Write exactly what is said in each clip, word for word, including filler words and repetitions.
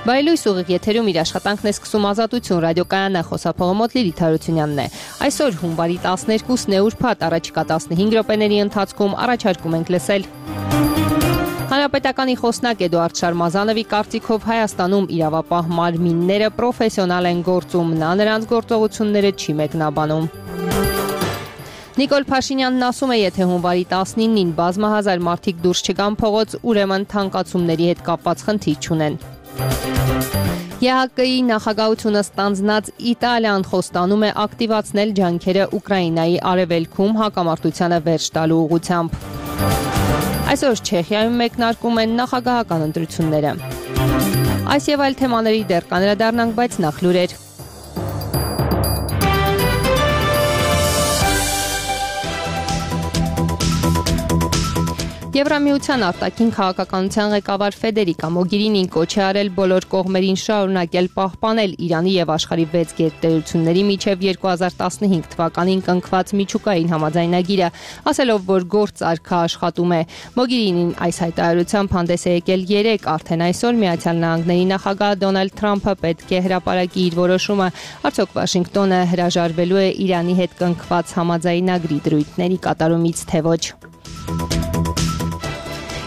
Բայլույս ուղիղ եթերում իր աշխատանքն է սկսում Ազատություն ռադիոկայանը, խոսափողը մոտ Լիլիթ Հարությունյանն է։ Այսօր հունվարի տասներկուսն է ուրբաթ, առաջիկա տասնհինգ րոպեների ընթացքում առաջարկում ենք լսել։ Հանրապետականի խոսնակ Էդուարդ Շարմազանովի կարծիքով Հայաստանում իրավապահ մարմինները պրոֆեսիոնալ են գործում, նա նրանց գործողությունները չի մեկնաբանում։ Նիկոլ Փաշինյանն ասում է, եթե հունվարի տասնինին բազմահազար մարդիկ դուրս չգան փողոց, ուրեմն թանկացումների հետ կապված խնդիր չունեն։ ԵՀԿ-ի նախագահությունը ստանձնած Իտալիան խոստանում է ակտիվացնել ջանքերը Ուկրաինայի արևելքում հակամարտությանը վերջ տալու ուղղությամբ։ Այսօր Չեխիայում մեկնարկում են նախագահական ընտրությունները։ Այս եւ այլ թեմաների դեռ կանրադառնանք, բայց նախ լուրեր։ Եվրամիության արտաքին քաղաքականության ղեկավար Ֆեդերիկա Մոգերինին կոչ է արել բոլոր կողմերին շարունակել պահպանել Իրանի եւ աշխարհի վեց գերտերությունների միջև երկու հազար տասնհինգ թվականին կնքված միջուկային համաձայնագիրը, ասելով, որ գործարքը աշխատում է։ Մոգերինին այս հայտարարությամբ հանդես է եկել երեկ, արդեն այսօր Միացյալ Նահանգների նախագահ Դոնալդ Թրամփը պետք է հրապարակի իր որոշումը, արդյոք Վաշինգտոնը հրաժարվելու է Իրանի հետ կնքված համաձայնագրի դրույթների կատարումից, թե ոչ։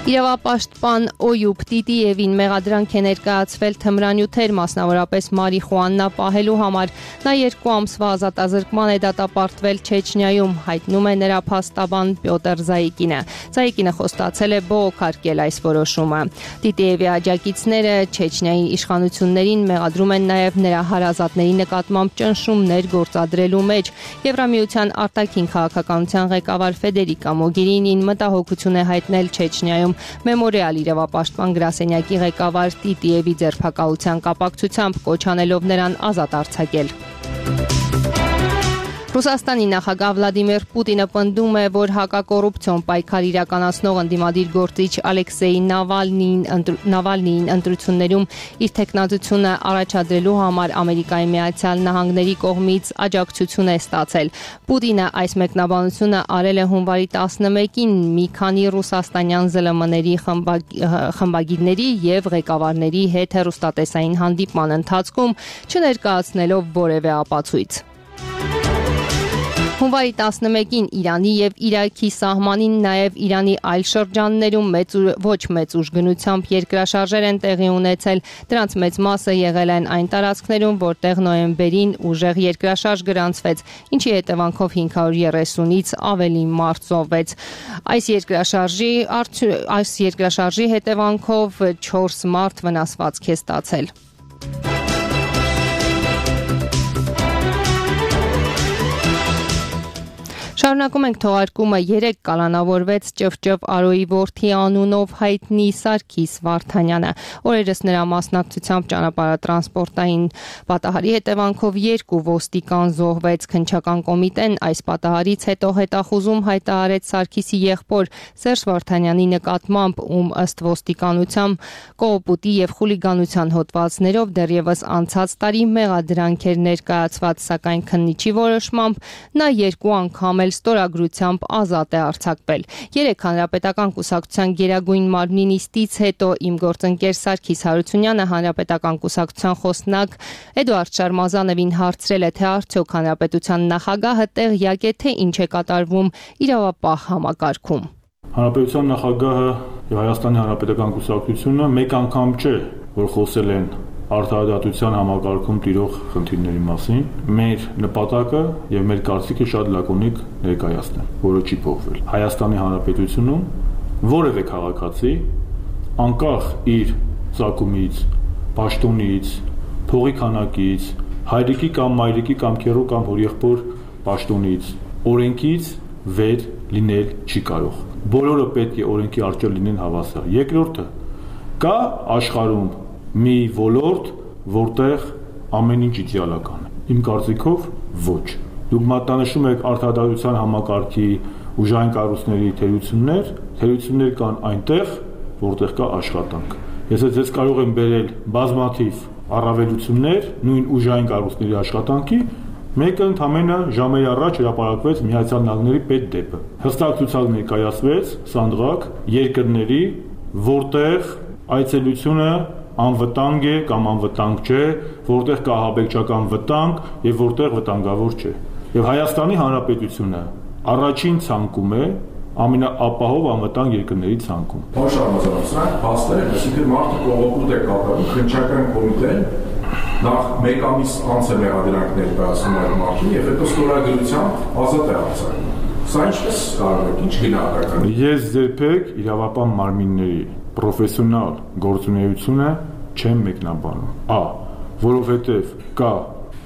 Իրավապաշտպան Օյուբ Տիտիևին մեղադրանք է ներկայացվել թմրանյութեր, մասնավորապես մարիխուանա պահելու համար։ Նա երկու ամսվա ազատազրկման է դատապարտվել Չեչնիայում, հայտնում է նրա փաստաբան Պյոտր Զայիկինը։ Զայիկինը խոստացել է բողոքարկել այս որոշումը։ Տիտիևի աջակիցները Չեչնիայի իշխանություններին մեղադրում են նաև նրա հարազատների նկատմամբ ճնշումներ գործադրելու մեջ։ Եվրամիության արտաքին քաղաքականության ղեկավար Ֆեդերիկա Մոգերինին մտահոգություն է հայտնել Չեչնիայում Մեմորիալ իրավապաշտպան գրասենյակի ղեկավար Տիտիևի ձերբակալության կապակցությամբ, կոչ անելով նրան ազատ արձակել։ Ռուսաստանի նախագահ Վլադիմիր Պուտինը պնդում է, որ հակակոռուպցիոն պայքար իրականացնող ընդդիմադիր գործիչ Ալեքսեյ Նավալնիին Նավալնիին ընտրություններում իր թեկնածությունը առաջադրելու համար Ամերիկայի Միացյալ Նահանգների կողմից աջակցություն է ստացել։ Պուտինը այս մեկնաբանությունը արել է հունվարի տասնմեկին մի քանի ռուսաստանյան զլ էմ-ների խմբագիրների եւ ղեկավարների հետ հեռուստատեսային հանդիպման ընթացքում, չներկայացնելով որևէ ապացույց։ Հունվարի տասնմեկին Իրանի եւ Իրաքի սահմանին, նաեւ Իրանի այլ շրջաններում մեծ ոչ մեծ ուժգնությամբ երկրաշարժեր են տեղի ունեցել։ Դրանց մեծ մասը եղել են այն տարածքներում, որտեղ նոյեմբերին ուժեղ երկրաշարժ գրանցվեց, ինչի հետևանքով հինգ հարյուր երեսունից ավելի մարդ զոհվեց։ Այս երկրաշարժի այս երկրաշարժի հետևանքով չորս մարդ վնասվածք է ստացել։ Շարունակում ենք թողարկումը։ Երեկ կալանավորվեց Ճվճվ Արոյի որդի անունով հայտնի Սարգիս Վարդանյանը։ Օրերս նրա մասնակցությամբ ճանապարհատրանսպորտային պատահարի հետևանքով երկու ոստիկան զոհվեց։ Քննչական կոմիտեն այս պատահարից հետո հետախուզում հայտարարեց Սարգիսի եղբոր Սերժ Վարդանյանի նկատմամբ, ում ըստ ոստիկանության կողոպուտի եւ խուլիգանության հոդվածներով դեռևս անցած տարի մեղադրանք էր ներկայացված, սակայն քննիչի որոշմամբ նա երկու անգամ ստորագրությամբ ազատ է արձակվել։ Երեկ Հանրապետական կուսակցության գերագույն մարմնի նիստից հետո իմ գործընկեր Սարգիս Հարությունյանը Հանրապետական կուսակցության խոսնակ Էդուարդ Շարմազանովին հարցրել է, թե արդյոք Հանրապետության նախագահը տեղյակ է, թե ինչ է կատարվում իրավապահ համակարգում։ Հանրապետության նախագահը եւ Հայաստանի Հանրապետական կուսակցությունը մեկ անգամ չէ, որ խոսել են արդարադատության համակարգում տիրող խնդիրների մասին։ Մեր նպատակը եւ մեր կարծիքը շատ լակոնիկ ներկայացնել, որը չի փոխվել։ Հայաստանի Հանրապետությունում որևէ քաղաքացի, անկախ իր ծագումից, պաշտոնից, փողի քանակից, հայրիկի կամ մայրիկի կամ քեռու կամ հորեղբոր պաշտոնից, օրենքից վեր լինել չի կարող։ Բոլորը պետք է օրենքի առջև լինեն հավասար։ Երկրորդը, կա աշխարհում մի ոլորտ, որտեղ ամեն ինչ իդեալական է։ Իմ կարծիքով ոչ։ Դուք մատնանշում եք արդարադատության համակարգի ուժային կառույցների թերություններ, թերություններ կան այնտեղ, որտեղ կա աշխատանք։ Ես ձեզ կարող եմ բերել բազմաթիվ առավելություններ նույն ուժային կառույցների աշխատանքի, մեկը ընդամենը ժամեր առաջ հրապարակվեց Միացյալ Նահանգների պետդեպը։ Հստակ ցուցակ ներկայացվեց սանդղակ երկրների, որտեղ այցելությունը անվտանգ է կամ անվտանգ չէ, որտեղ կա ահաբեկչական վտանգ եւ որտեղ վտանգավոր չէ։ Եվ Հայաստանի Հանրապետությունը առաջին ցանկում է ամենաապահով անվտանգ երկրների ցանկում։ Ոչ համաձայնության փաստեր են, այսինքն մարդը կողոպուտ է կատարում, քննչական կոմիտեն նախ մեկ ամիս անց է մեղադրանք ներկայացնում այդ մարդուն եւ հետո ստորագրությամբ ազատ է արձակում։ Սա ինչպես կարող է, ինչ գնահատական։ Ես երբեք իրավապահ մարմինների պրոֆեսիոնալ գործունեությունը չեմ մեկնաբանում։ Ա, որովհետեւ կա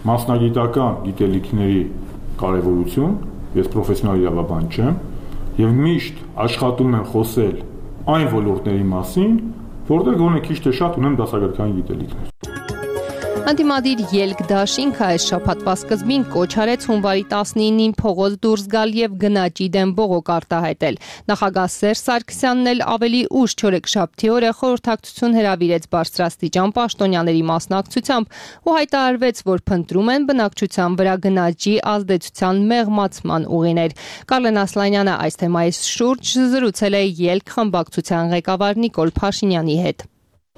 մասնագիտական գիտելիքների կարևորություն, ես պրոֆեսիոնալ իրավաբան չեմ, եւ միշտ աշխատում եմ խոսել այն ոլորտների մասին, որտեղ գոնե քիչ թե շատ ունեմ դասագրքային գիտելիքներ։ Անդիմադիր ելք դաշինքը այս շաբաթվա սկզբին կոչ արեց հունվարի տասնինին փողոց դուրս գալ եւ գնաճի դեմ բողոք արտահայտել։ Նախագահ Սերժ Սարգսյանն էլ ավելի ուշ չորեքշաբթի օրը խորհրդակցություն հրավիրեց բարձրաստիճան պաշտոնյաների մասնակցությամբ ու հայտարարվեց, որ փնտրում են բնակչության վրա գնաճի ազդեցության մեղմացման ուղիներ։ Կարլեն Ասլանյանը այս թեմայի շուրջ զրուցել է ելք խմբակցության ղեկավար Նիկոլ Փաշինյանի հետ։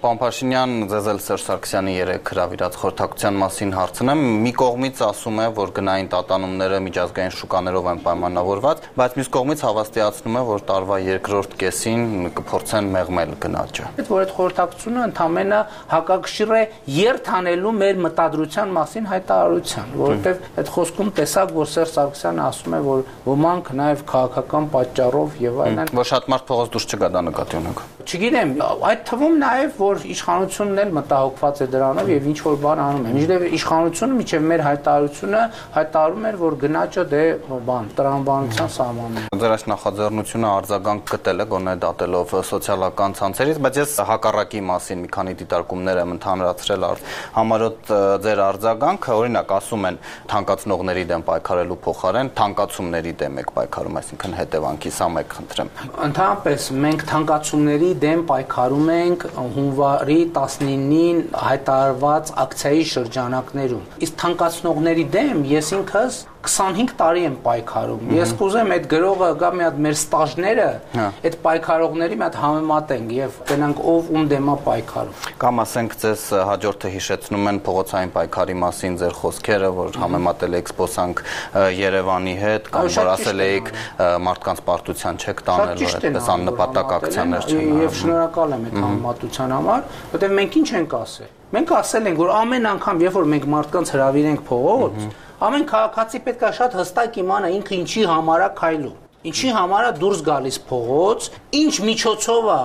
Պարոն Փաշինյան, ձեզ էլ Սերժ Սարգսյանի երեք հրավիրած խորհրդակցության մասին հարցնեմ։ Մի կողմից ասում է, որ գնային տատանումները միջազգային շուկաներով են պայմանավորված, բայց մյուս կողմից հավաստիացնում է, որ տարվա երկրորդ կեսին կփորձեն մեղմել գնաճը։ Այդ որ այդ խորհրդակցությունը ընդամենը հակակշիռ է երթանելու մեր մտադրության մասին հայտարարության, որովհետև այդ խոսքում տեսակ, որ Սերժ Սարգսյանը ասում է, որ ոմանք նաև քաղաքական պատճառով եւ այլն, որ շատ մարդ փողոց դուրս չգա, դա նկատի ունեք։ Չգիտեմ, այդ թվում նաև որ իշխանությունն էլ մտահոգված է դրանով եւ ինչ որ բան անում է։ Միջև իշխանությունը միջև մեր հայտարարությունը հայտարարում էր, որ գնաճը դե բան տրամաբանության սահմանն է։ Ձեր այս նախաձեռնությունը արձագանք գտել է գոնե դատելով սոցիալական ցանցերից, բայց ես հակառակի մասին մի քանի դիտարկումներ եմ ընդհանրացրել համարոտ ձեր արձագանքը, օրինակ ասում են թանկացնողների դեմ պայքարելու փոխարեն թանկացումների դեմ եք պայքարում, այսինքն հետևանքի սա մեկ խնդրեմ։ Ընդհանրապես մենք թանկացումների դեմ պայքարում ենք հունվարի տասնինին հայտարարված ակցիայի շրջանակներում։ Իսկ թանկացնողների դեմ ես ինքս քսանհինգ տարի եմ պայքարում։ Ես կուզեմ այդ գրողը գա մի հատ մեր ստաժները այդ պայքարողների մի հատ համեմատենք եւ գնանք ով ում դեմ է պայքարում։ Կամ ասենք ձեզ հաջորդը հիշեցնում են փողոցային պայքարի մասին ձեր խոսքերը, որ համեմատել եք սպոսանք Երևանի հետ, կամ որ ասել եք մարդկանց պարտության չեք տանել, որ այդպես աննպատակ ակցիաներ չեն։ Եվ շնորհակալ եմ այդ համեմատության համար, որտեղ մենք ինչ ենք ասել։ Մենք ասել ենք, որ ամեն անգամ, երբ որ մենք մարդկանց հրավիրենք փողոց, ամեն քաղաքացի պետք է շատ հստակ իմանա ինքը ինչի համար է քայլում, ինչի համար է դուրս գալիս փողոց, ինչ միջոցով է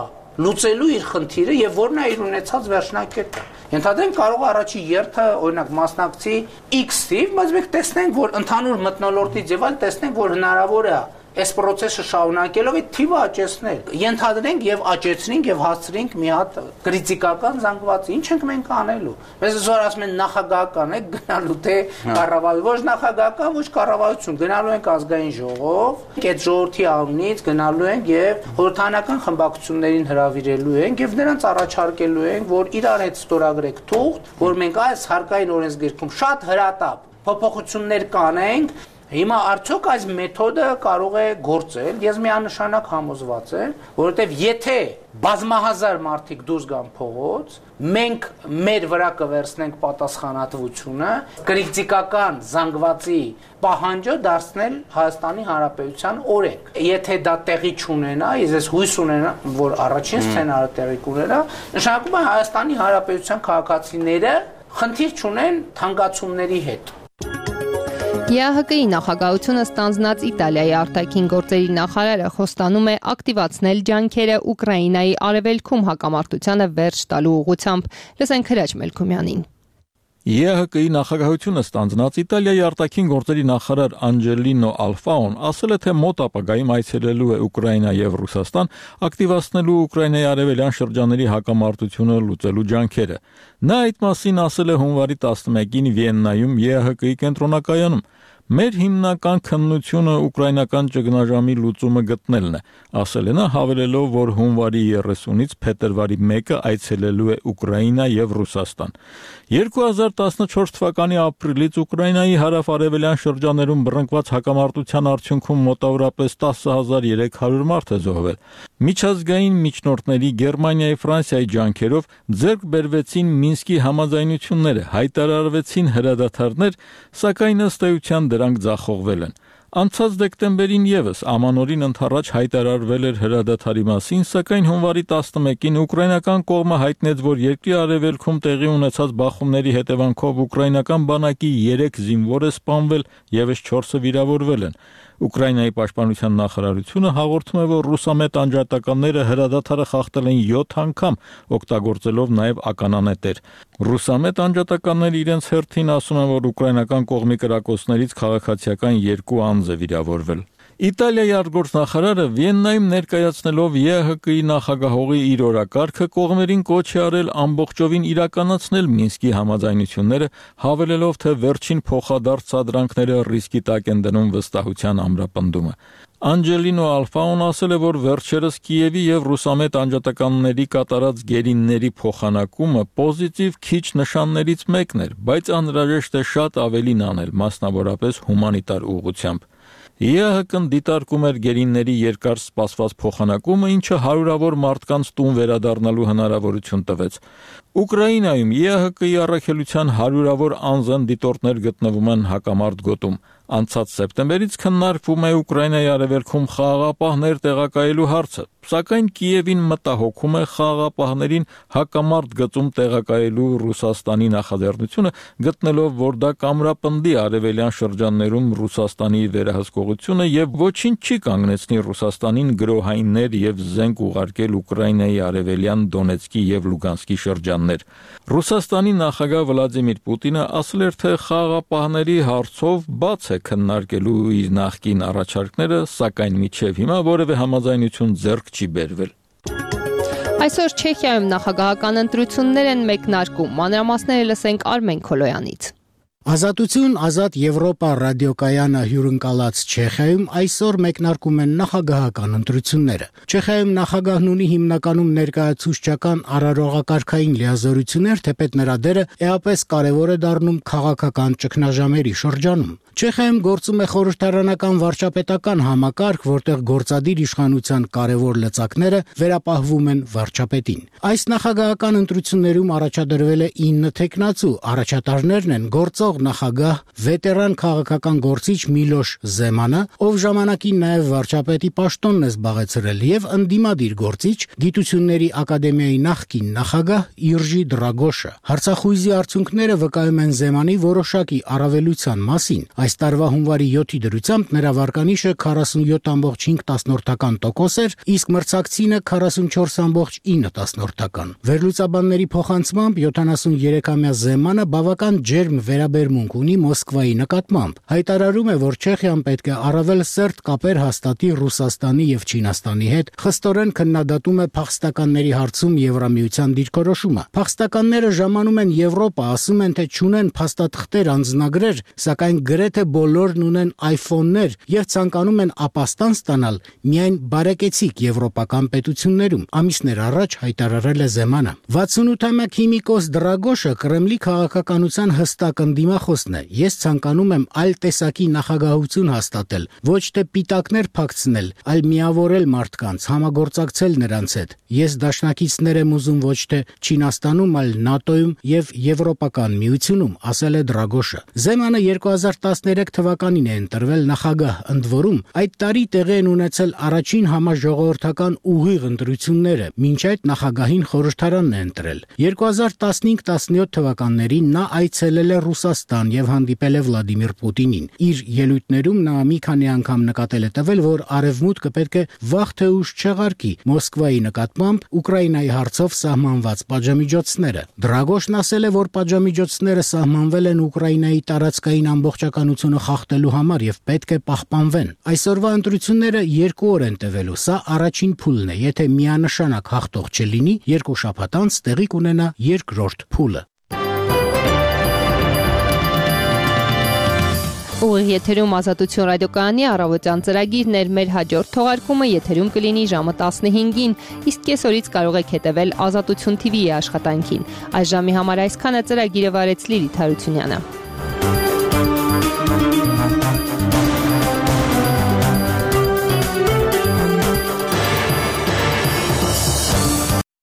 լուծելու իր խնդիրը եւ որն է իր ունեցած վերջնակետը։ Ենթադրենք կարող է առաջի երթը, օրինակ մասնակցի X թիվ, բայց մենք տեսնենք, որ ընդհանուր մթնոլորտից եւ այլ տեսնենք, որ հնարավոր է այս process-ը շարունակելով այդ թիվը աճեցնել։ Ենթադրենք եւ աճեցնենք եւ հասցրենք մի հատ քրիտիկական զանգվածի։ Ինչ ենք մենք անելու։ Մեզ զոր ասում են նախագահական է գնալու թե կառավարություն, ոչ նախագահական, ոչ կառավարություն, գնալու ենք ազգային ժողով, այդ ժողովրդի անունից գնալու ենք եւ խորհրդանական խմբակցություններին հրավիրելու ենք եւ նրանց առաջարկելու ենք, որ իրար հետ ստորագրեք թուղթ, որ մենք այս հարկային օրենսգիրքում շատ հրատապ փոփոխություններ կանենք։ Հիմա արդյոք այս մեթոդը կարող է գործել, ես միանշանակ համոզված եմ, որովհետև եթե բազմահազար մարդիկ դուրս գան փողոց, մենք մեր վրա կվերցնենք պատասխանատվությունը, քրիտիկական զանգվածի պահանջը դարձնել Հայաստանի Հանրապետության օրենք։ Եթե դա տեղի չունենա, ես հույս ունենամ, որ առաջին սցենարը տեղի կունենա, նշանակում է Հայաստանի Հանրապետության քաղաքացիները խնդիր չունեն թանկացումների հետ։ ԵԱՀԿ-ի նախագահությունը ստանձնած Իտալիայի արտաքին գործերի նախարարը խոստանում է ակտիվացնել ջանքերը Ուկրաինայի արևելքում հակամարտությանը վերջ տալու ուղղությամբ։ Լսենք Հրաչ Մելքումյանին։ ԵԱՀԿ-ի նախագահությունը ստանձնած Իտալիայի արտաքին գործերի նախարար Անջելինո Ալֆաոն ասել է, թե մոտ ապագայում այցելելու է Ուկրաինա եւ Ռուսաստան, ակտիվացնելու Ուկրաինայի արևելյան շրջանների հակամարտությունը լուծելու ջանքերը։ Նա այդ մասին ասել է հունվարի տասնմեկին Վիեննայում ԵԱՀԿ-ի կենտրոնակայանում։ Մեր հիմնական քննությունը ուկրաինական ճգնաժամի լուծումը գտնելն է, ասել է նա, հավելելով, որ հունվարի երեսունից փետրվարի մեկը այցելելու է Ուկրաինա եւ Ռուսաստան։ երկու հազար տասնչորս թվականի ապրիլից Ուկրաինայի հարավ-արևելյան շրջաներում բռնկված հակամարտության արդյունքում մոտավորապես տասը հազար երեք հարյուր մարդ է զոհվել։ Միջազգային միջնորդների Գերմանիայի, Ֆրանսիայի ջանքերով ձեռք բերվեցին Մինսկի համաձայնությունները, հայտարարվեցին հրադադարներ, սակայն ըստ էության դրանք ձախողվել են։ Անցած դեկտեմբերին եւս ամանորին ընդառաջ հայտարարվել էր հրադադարի մասին, սակայն հունվարի տասնմեկին ուկրաինական կողմը հայտնեց, որ երկրի արևելքում տեղի ունեցած բախումների հետևանքով ուկրաինական բանակի երեք զինվոր է սպանվել, եւս չորսը վիրավորվել են։ Ուկրաինայի պաշտպանության նախարարությունը հաղորդում է, որ ռուսամետ անջատականները հրադադարը խախտել են յոթ անգամ, օգտագործելով նաև ականանետեր։ Ռուսամետ անջատականները իրենց հերթին ասում են, որ ուկրաինական կողմի կրակոցներից քաղաքացիական երկու անձ է վիրավորվել։ Իտալիայի արտգործնախարարը Վիեննայում ներկայացնելով ԵՀԿ-ի նախագահողի իր օրակարգը կողմերին կոչ է արել ամբողջովին իրականացնել Մինսկի համաձայնությունները, հավելելով, թե վերջին փոխադարձ սադրանքները ռիսկի տակ են դնում վստահության ամրապնդումը։ Անջելինո Ալֆաոն ասել է, որ վերջերս Կիևի եւ ռուսամետ անջատականների կատարած գերինների փոխանակումը պոզիտիվ քիչ նշաններից մեկն էր, բայց անհրաժեշտ է շատ ավելին անել, մասնավորապես հումանիտար ուղղությամբ։ ԵՀԿ-ն դիտարկում էր գերինների երկար սպասված փոխանակումը, ինչը հարյուրավոր մարդկանց տուն վերադառնալու հնարավորություն տվեց։ Ուկրաինայում ԵՀԿ-ի առաքելության հարյուրավոր անձն դիտորդներ գտնվում են հակամարտ գոտում։ Անցած սեպտեմբերից քննարկվում է Ուկրաինայի արևելքում խաղաղապահներ տեղակայելու հարցը, սակայն Կիևին մտահոգում է խաղաղապահներին հակամարտ գծում տեղակայելու Ռուսաստանի նախաձեռնությունը, գտնելով, որ դա կամրապնդի արևելյան շրջաններում Ռուսաստանի վերահսկողությունը եւ ոչինչ չի կանգնեցնի Ռուսաստանին գրոհայիններ եւ զենք ուղարկել Ուկրաինայի արևելյան Դոնեցկի եւ Լուգանսկի շրջաններ։ Ռուսաստանի նախագահ Վլադիմիր Պուտինը ասել էր, թե խաղաղապահների հարցով բաց է քննարկելու իր նախկին առաջարկները, սակայն մինչև հիմա որևէ համաձայնություն ձեռք չի բերվել։ Այսօր Չեխիայում նախագահական ընտրություններ են մեկնարկում։ Մանրամասները լսենք Արմեն Քոլոյանից։ Ազատություն, ազատ Եվրոպա ռադիոկայանը հյուրընկալած Չեխիայում այսօր մեկնարկում են նախագահական ընտրությունները։ Չեխիայում նախագահն ունի հիմնականում ներկայացուցչական արարողակարգային լիազորություններ, թեպետ նրա դերը էապես կարևոր է դառնում քաղաքական ճգնաժամերի շրջանում։ Չեխիայում գործում է խորհրդարանական վարչապետական համակարգ, որտեղ գործադիր իշխանության կարևոր լծակները վերապահվում են վարչապետին։ Այս նախագահական ընտրություններում առաջադրվել է ինը թեկնածու, առաջատարներն են գործող նախագահ, վետերան քաղաքական գործիչ Միլոշ Զեմանը, ով ժամանակին նաև վարչապետի պաշտոնն է զբաղեցրել, եւ ընդդիմադիր գործիչ, գիտությունների ակադեմիայի նախկին նախագահ Իրջի Դրագոշը։ Հարցախույզի արդյունքները վկայում են Զեմանի որոշակի առավելության մասին։ Այս տարվա հունվարի յոթի դրությամբ նրա վարկանիշը քառասունյոթ կόμμα պինգ տոկոս էր, իսկ մրցակցինը քառասունչորս կόμμα ինը։ Վերլուծաբանների փոխանցմամբ յոթանասուներեքամյա Զեմանը բավական ջերմ վերաբերմունք ունի Մոսկվայի նկատմամբ։ Հայտարարում է, որ Չեխիան պետք է առավել սերտ կապեր հաստատի Ռուսաստանի եւ Չինաստանի հետ, խստորեն քննադատում է փախստականների հարցում Եվրամիության դիրքորոշումը։ Փախստականները ժամանում են Եվրոպա, ասում են, թե չունեն փաստաթղթեր, անձնագրեր, սակայն գրեթե բոլորն ունեն iPhone-ներ եւ ցանկանում են ապաստան ստանալ միայն բարեկեցիկ եվրոպական պետություններում, ամիսներ առաջ հայտարարել է Զեմանը։ վաթսունութամյա քիմիկոս Դրագոշը Կրեմլի քաղաքականության հստակ ընդդիմախոսն է։ Ես ցանկանում եմ այլ տեսակի նախագահություն հաստատել, ոչ թե պիտակներ փակցնել, այլ միավորել մարդկանց, համագործակցել նրանց հետ։ Ես դաշնակիցներ եմ ուզում ոչ թե Չինաստանում, այլ ՆԱՏՕ-ում եւ Եվրոպական միությունում, ասել է Դրագոշը։ Զեմանը երկու հազար տասներեք թվականին է ընտրվել նախագահ, ընդ որում այդ տարի տեղի են ունեցել առաջին համաժողովրդական ուղիղ ընտրությունները, մինչ այդ նախագահին խորհրդարանն է ընտրել։ երկու հազար տասնհինգ տասնյոթ թվականներին նա այցելել է Ռուսաստան եւ հանդիպել է Վլադիմիր Պուտինին։ Իր ելույթներում նա մի քանի անգամ նկատել է տվել, որ Արևմուտքը պետք է վաղ թե ուշ չեղարկի Մոսկվայի նկատմամբ Ուկրաինայի հարցով սահմանված պատժամիջոցները։ Դրագոշն ասել է, որ պատժամիջոցները սահմանվել են Ուկրաինայի տարածքային ամբողջականությունը խախտելու համար եւ պետք է պահպանվեն։ Այսօրվա ընտրությունները երկու օր են տևելու, սա առաջին փուլն է, եթե միանշանակ հաղթող չլինի, երկու շաբաթ անց տեղի կունենա երկրորդ փուլը։ Ուղիղ եթերում Ազատություն ռադիոկայանի առավոտյան ծրագիրն էր, մեր հաջորդ թողարկումը եթերում կլինի ժամը տասնհինգին, իսկ կեսօրից կարող եք հետևել Ազատություն թիվիի աշխատանքին։ Այս ժամի համար այսքանը, ծրագիրը վարեց Լիլիթ Հարությունյանը։